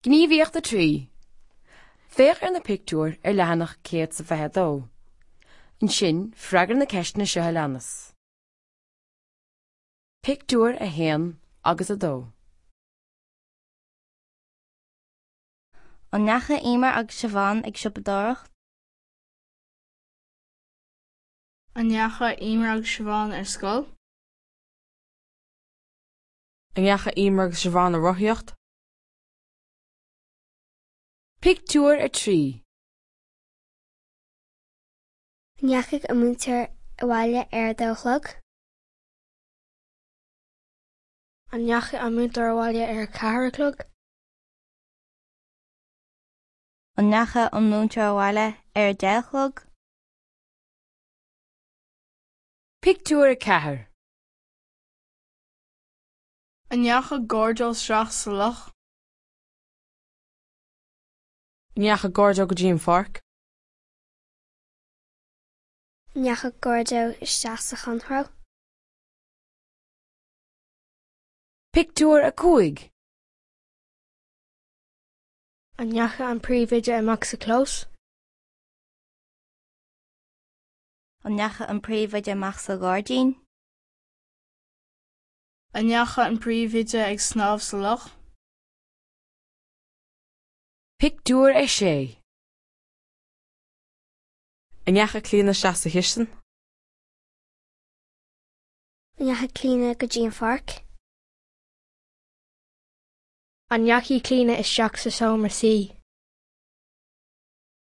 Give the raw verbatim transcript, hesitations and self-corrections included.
Gníomhaíocht a trí. Féach ar na pictiúir ar leathanach céad is a fiche a dó. Ansin freagair na ceisteanna seo a leanas. Pictiúr a haon agus a dó. An ndeachaigh Emer agus Siobhán ag siopadóireacht? An ndeachaigh Emer agus Siobhán ar scoil? An ndeachaigh Emer agus Siobhán ag rothaíocht? Pictiúr a trí. An ndeachaigh an múinteoir abhaile ar a dó a chlog? An ndeachaigh an múinteoir abhaile ar a ceathair a chlog? An ndeachaigh an múinteoir abhaile ar a deich a chlog? Pictiúr a ceathair. An ndeachaigh Gordo isteach sa loch? An ndeachaigh Gordo go dtí an pháirc? An ndeachaigh Gordo isteach sa chontró? Pictiúr a cúig. An ndeachaigh an príomhoide amach sa chlós? An ndeachaigh an príomhoide amach sa ghairdín? An ndeachaigh an príomhoide ag snámh sa loch? Pictiúr a sé. An ndeachaigh Clíona isteach sa chistin? An ndeachaigh Clíona go dtí an pháirc? An ndeachaigh Clíona isteach sa seomra suí?